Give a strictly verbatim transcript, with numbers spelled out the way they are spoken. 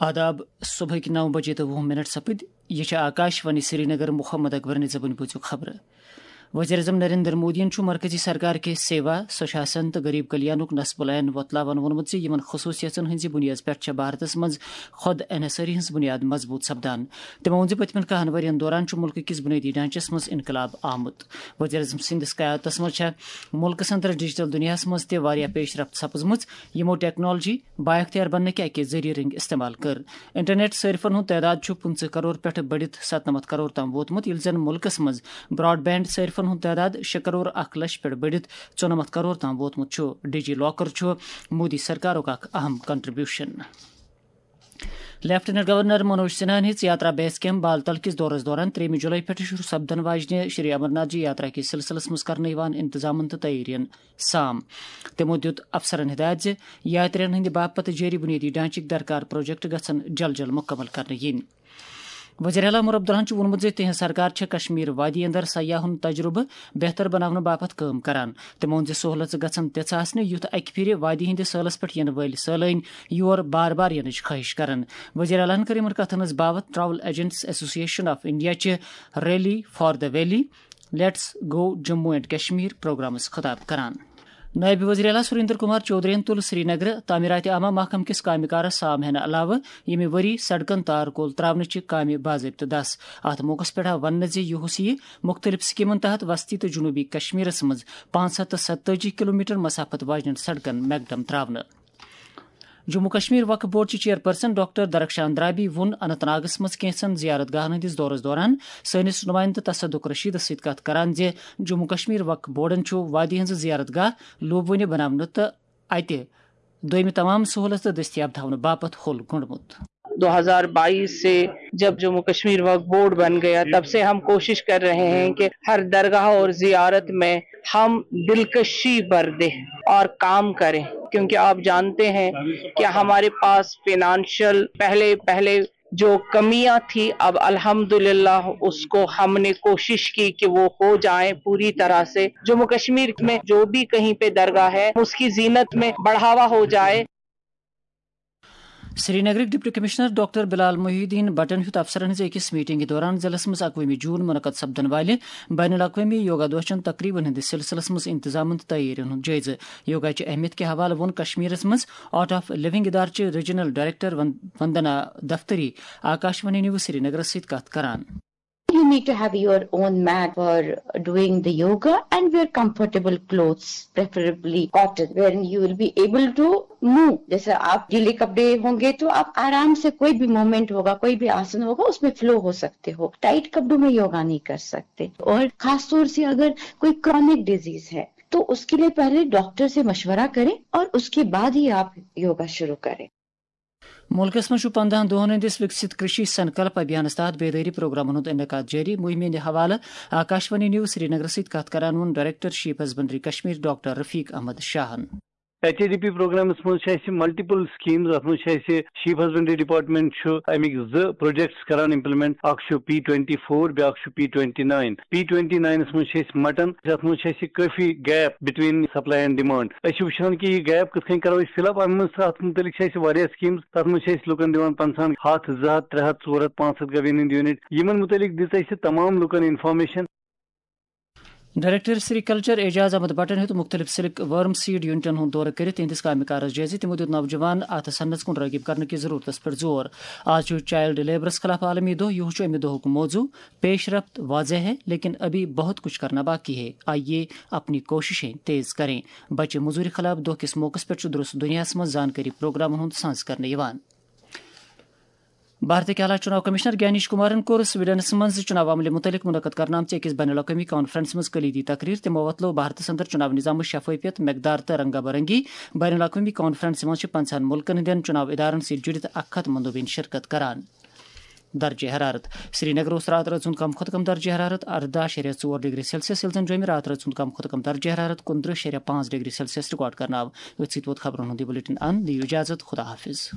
آداب، صبحٕکۍ نو بجے تہٕ وُہ منٹ سپٕدۍ۔ یہِ چھِ آکاش وانی سرینگر۔ محمد اکبرنہِ زبٲنۍ بوٗزِو خبرٕ۔ وزیر اعظم نریندر مودیَن چھُ مرکزی سرکار کہِ سیوا، سوشاسن تہٕ غریب کلیانُک نصب العین وۄتلاوان ووٚنمُت زِ یِمن خصوٗصیژن ہٕنٛزِ بُنیٲدِ پٮ۪ٹھ چھےٚ بھارتس منٛز خود انحصٲری ہٕنٛز بُنیاد مضبوٗط سپدان۔ تٔمۍ ووٚن زِ پٔتمٮ۪ن کاہن ؤرین دوران چھُ مُلکہٕ کِس بُنیٲدی ڈھانچس منٛز انقلاب آمُت۔ وزیر اعظم سٕنٛدِس قیادتس منٛز چھےٚ مُلکس اندر ڈیجیٹل دُنیاہس منٛز تہِ واریاہ پیش رفت سپٕزمٕژ، یِمو ٹیکنالوجی بااختیار بننہٕ کہِ اکہِ ذٔریعہٕ رٔنگۍ استعمال کٔر۔ انٹرنیٹ صٲرفن ہُنٛد تعداد چھُ پٕنٛژٕہ کرور پٮ۪ٹھٕ بٔڑِتھ ستنمتھ کرور تام ووتمُت، ییٚلہِ زن مُلکس منٛز براڈ بینڈ صٲرفن ہُنٛد تعداد شےٚ کرور اکھ لچھ پٮ۪ٹھ بٔڑِتھ ژُنمتھ کرور تام ووتمُت چھُ۔ ڈی جی لاکر چھُ مودی سرکارُک اکھ اہم کنٹریبیوشن۔ لیفٹیننٹ گورنر منوج سنہاہن ہیٚژ یاترا بیس کیمپ بال تل کِس دورس دوران ترٛیٚیِمہِ جولائی پٮ۪ٹھٕ شروع سپدن واجنہِ شری امرناتھ جی یاترا کِس سلسلس منٛز کرنہٕ یِوان انتظامن تہٕ تیٲرین سام۔ تِمو دیُت افسرن ہدایت زِ یاترین ہٕنٛدِ باپتھ جٲری بُنیٲدی ڈھانچٕکۍ درکار پروجیکٹ گژھن جل جل مُکمل کرنہٕ یِنۍ۔ وزیر اعلیٰ عمر عبداللہن چھُ ووٚنمُت زِ تِہنٛز سرکار چھےٚ کشمیر وادی اندر سیاحن ہُنٛد تجربہٕ بہتر بناونہٕ باپتھ کٲم کران۔ تٔمۍ ووٚن زِ سہولژٕ گژھن تِژھٕ آسنہِ، یُتھ اکہِ پھِرِ وادی ہٕنٛدِس سٲلس پٮ۪ٹھ یِنہٕ وٲلۍ سٲلٲنۍ یور بار بار یِنٕچ خٲہِش کرن۔ وزیر اعلیٰ ہن کٔر یِمن کتھن ہٕنٛز باوتھ travel agents association of India چہِ rally for the valley, let's go Jammu and Kashmir پروگرامس خطاب کران۔ نائب وزیر اعلیٰ سریندر کمار چودھرین تُل سری نگر تعمیرات عامہ محکمہٕ کِس کامہِ کارس سام ہینہٕ علاوٕ ییٚمہِ ؤری سڑکن تار کول تراونٕچہِ کامہِ باضٲبطہٕ دس۔ اتھ موقعس پٮ۪ٹھ آو وننہٕ زِ یہِ ہُس یِیہِ مُختٔلِف سکیمن تحت وسطی تہٕ جنوبی کشمیرس منٛز پانٛژھ ہتھ تہٕ ستتٲجی کلومیٹر مسافت واجنٮ۪ن سڑکن میکڈم تراونہٕ۔ جموں کشمیر وقف بورڈ چہِ چیئرپرسن ڈاکٹر درخشان درابی ووٚن اننت ناگس منٛز کینژن زیارت گاہن ہٕنٛدِس دورس دوران سٲنِس نمائندٕ تصدق رشیدس سۭتۍ کتھ کران زِ جموں کشمیر وقف بورڈن چھُ وادی ہٕنٛز زیارت گاہ لوٗبوٕنہِ بناونہٕ تہٕ اتہِ دوٚیمہِ تمام سہولتہٕ دٔستیاب تھاونہٕ باپتھ ہوٚل گوٚنڈمُت۔ دو ہزار بائیس سے جب جموں کشمیر وقف بورڈ بن گیا، تب سے ہم کوشش کر رہے ہیں کہ ہر درگاہ اور زیارت میں ہم دلکشی بر دیں اور کام کریں، کیونکہ آپ جانتے ہیں کہ ہمارے پاس فنانشل پہلے پہلے جو کمیاں تھی، اب الحمدللہ اس کو ہم نے کوشش کی کہ وہ ہو جائیں پوری طرح سے۔ جموں کشمیر میں جو بھی کہیں پہ درگاہ ہے، اس کی زینت میں بڑھاوا ہو جائے۔ سری نگرٕکۍ ڈپٹی کمشنر ڈاکٹر بلال محی الدین بٹن ہیوٚت افسرن ہٕنٛزِ أکِس میٹنگہِ دوران ضلعس منٛز اکوُہمہِ جون منعقد سپدن والہِ بین الاقوٲمی یوگا دۄہ چٮ۪ن تقریبن ہٕنٛدِس سلسلس منٛز انتظامن تہٕ تیٲرین ہُنٛد جٲیزٕ۔ یوگا چہِ اہمیت کہِ حوالہٕ ووٚن کشمیرس منٛز آرٹ آف لونگ ادارٕ چہِ ریجنل ڈائریکٹر ون-، وندنا دفتری آکاشوانی نیوز سری نگرس سۭتۍ کتھ کران۔ You need to have your own mat for doing the yoga and wear comfortable clothes, preferably cotton, wherein you will be able to move. جیسے آپ ڈھیلے کپڑے ہوں گے تو آپ آرام سے کوئی بھی موومنٹ ہوگا، کوئی بھی آسن ہوگا، اس میں فلو ہو سکتے ہو۔ ٹائٹ کپڑوں میں یوگا نہیں کر سکتے۔ اور خاص طور سے اگر کوئی کرانک ڈیزیز ہے تو اس کے لیے پہلے ڈاکٹر سے مشورہ کریں اور اس کے بعد ہی آپ یوگا شروع کریں۔ مُلکَس منٛز چھُ پنٛداہن دۄہَن ہٕنٛدِس وِکسِت کرشی سنکلپ ابھیانَس تحت بیدٲری پروگرامَن ہُنٛد انعقاد جٲری۔ مُہِمہِ ہٕنٛدِ حوالہٕ آکاشوانی نیوز سرینگرَس سۭتۍ کَتھ کران ووٚن director sheep husbandry Kashmir doctor Rafiq Ahmad شاہَن۔ ایچ اے ڈی پی پروگرامس منٛز چھِ اَسہِ ملٹیپل سکیٖمز۔ اَتھ منٛز چھِ اَسہِ شیپ ہسبنڈری ڈپارٹمنٹ چھُ اَمِکۍ زٕ پروجیکٹس کران امپلیمنٹ۔ اکھ چھُ پی ٹوینٹی فور، بیٛاکھ چھُ P twenty nine. P twenty ناینس منٛز چھِ أسۍ مٹن، یَتھ منٛز چھِ اَسہِ کٲفی gap between supply and demand. أسۍ چھِ وٕچھان کہِ یہِ گیپ کِتھ کٔنۍ کرو أسۍ فل اپ۔ اَمہِ منٛز چھِ، اَتھ مُتعلِق چھِ اَسہِ واریاہ سکیٖمز۔ تَتھ منٛز چھِ أسۍ لُکن دِوان پنٛژاہن، ہَتھ، زٕ ہَتھ، ترٛےٚ ہَتھ، ژور ہَتھ، پانٛژھ ہَتھ گوین ہٕنٛدۍ یوٗنٹ۔ یِمن مُتعلِق دِژ اَسہِ تمام لُکن انفارمیشن۔ ڈائریکٹر سری کلچر اعجاز احمد بٹن ہیوٚت مُختٔلِف سلک ورم سیڈ یونٹن ہُنٛد دورٕ کٔرِتھ تِہنٛدِس کامہِ کارس جٲیزٕ۔ تِمو دیُت نوجوان اتھ صنعتس کُن رٲغب کرنہٕ کِس ضروٗرتس پٮ۪ٹھ زور۔ آز چھُ چائلڈ لیبرس خلاف عالمی دۄہ، یِہُس چھُ امہِ دۄہُک موضوع۔ پیش رفت واضح ہے، لیکن ابھی بہت کچھ کرنا باقی ہے، آئیے اپنی کوششیں تیز کریں۔ بچہِ مزوٗرِ خلاف دۄہ کِس موقعس پٮ۪ٹھ چھُ درست دُنیاہس منٛز زانکٲری پروگرامن ہُنٛد سانز کرنہٕ یِوان۔ بھارتٕکۍ اعلیٰ چُناو کمشنر گیانیش کمارن کوٚر سویڈنس منٛز چُناو عملہِ مُتعلق منعقد کرنہٕ آمژِ أکِس بین الاقوٲمی کانفرنسہِ منٛز کلیدی تقریر۔ تِمو وۄتلٲو بھارتس اندر چُناو نظامٕچ شفٲفیت، مقدار تہٕ رنگا برنگی۔ بین الاقوٲمی کانفرنسہِ منٛز چھِ پنٛژاہن مُلکن ہٕنٛدٮ۪ن چُناو ادارن سۭتۍ جُڑِتھ اکھ ہتھ مندوبین شرکت کران۔ درجہ حرارت۔ سری نگر اوس راتہٕ رٲژ ہُنٛد کم کھۄتہٕ کم درجہ حرارت ارداہ شیٚرِ ژور ڈگری سیلسیس، ییٚلہِ زن جوٚمہِ راتہٕ رٲژ ہُنٛد کم کھۄتہٕ کم درجہ حرارت کُنترٕہ شیٚرِ پانٛژھ ڈگری سیلسیس ریکارڈ کرنہٕ آو۔ أتھۍ سۭتۍ ووت خبرن ہُنٛد یہِ بلیٹن اند۔ دِیِو اجازت، خدا حافظ۔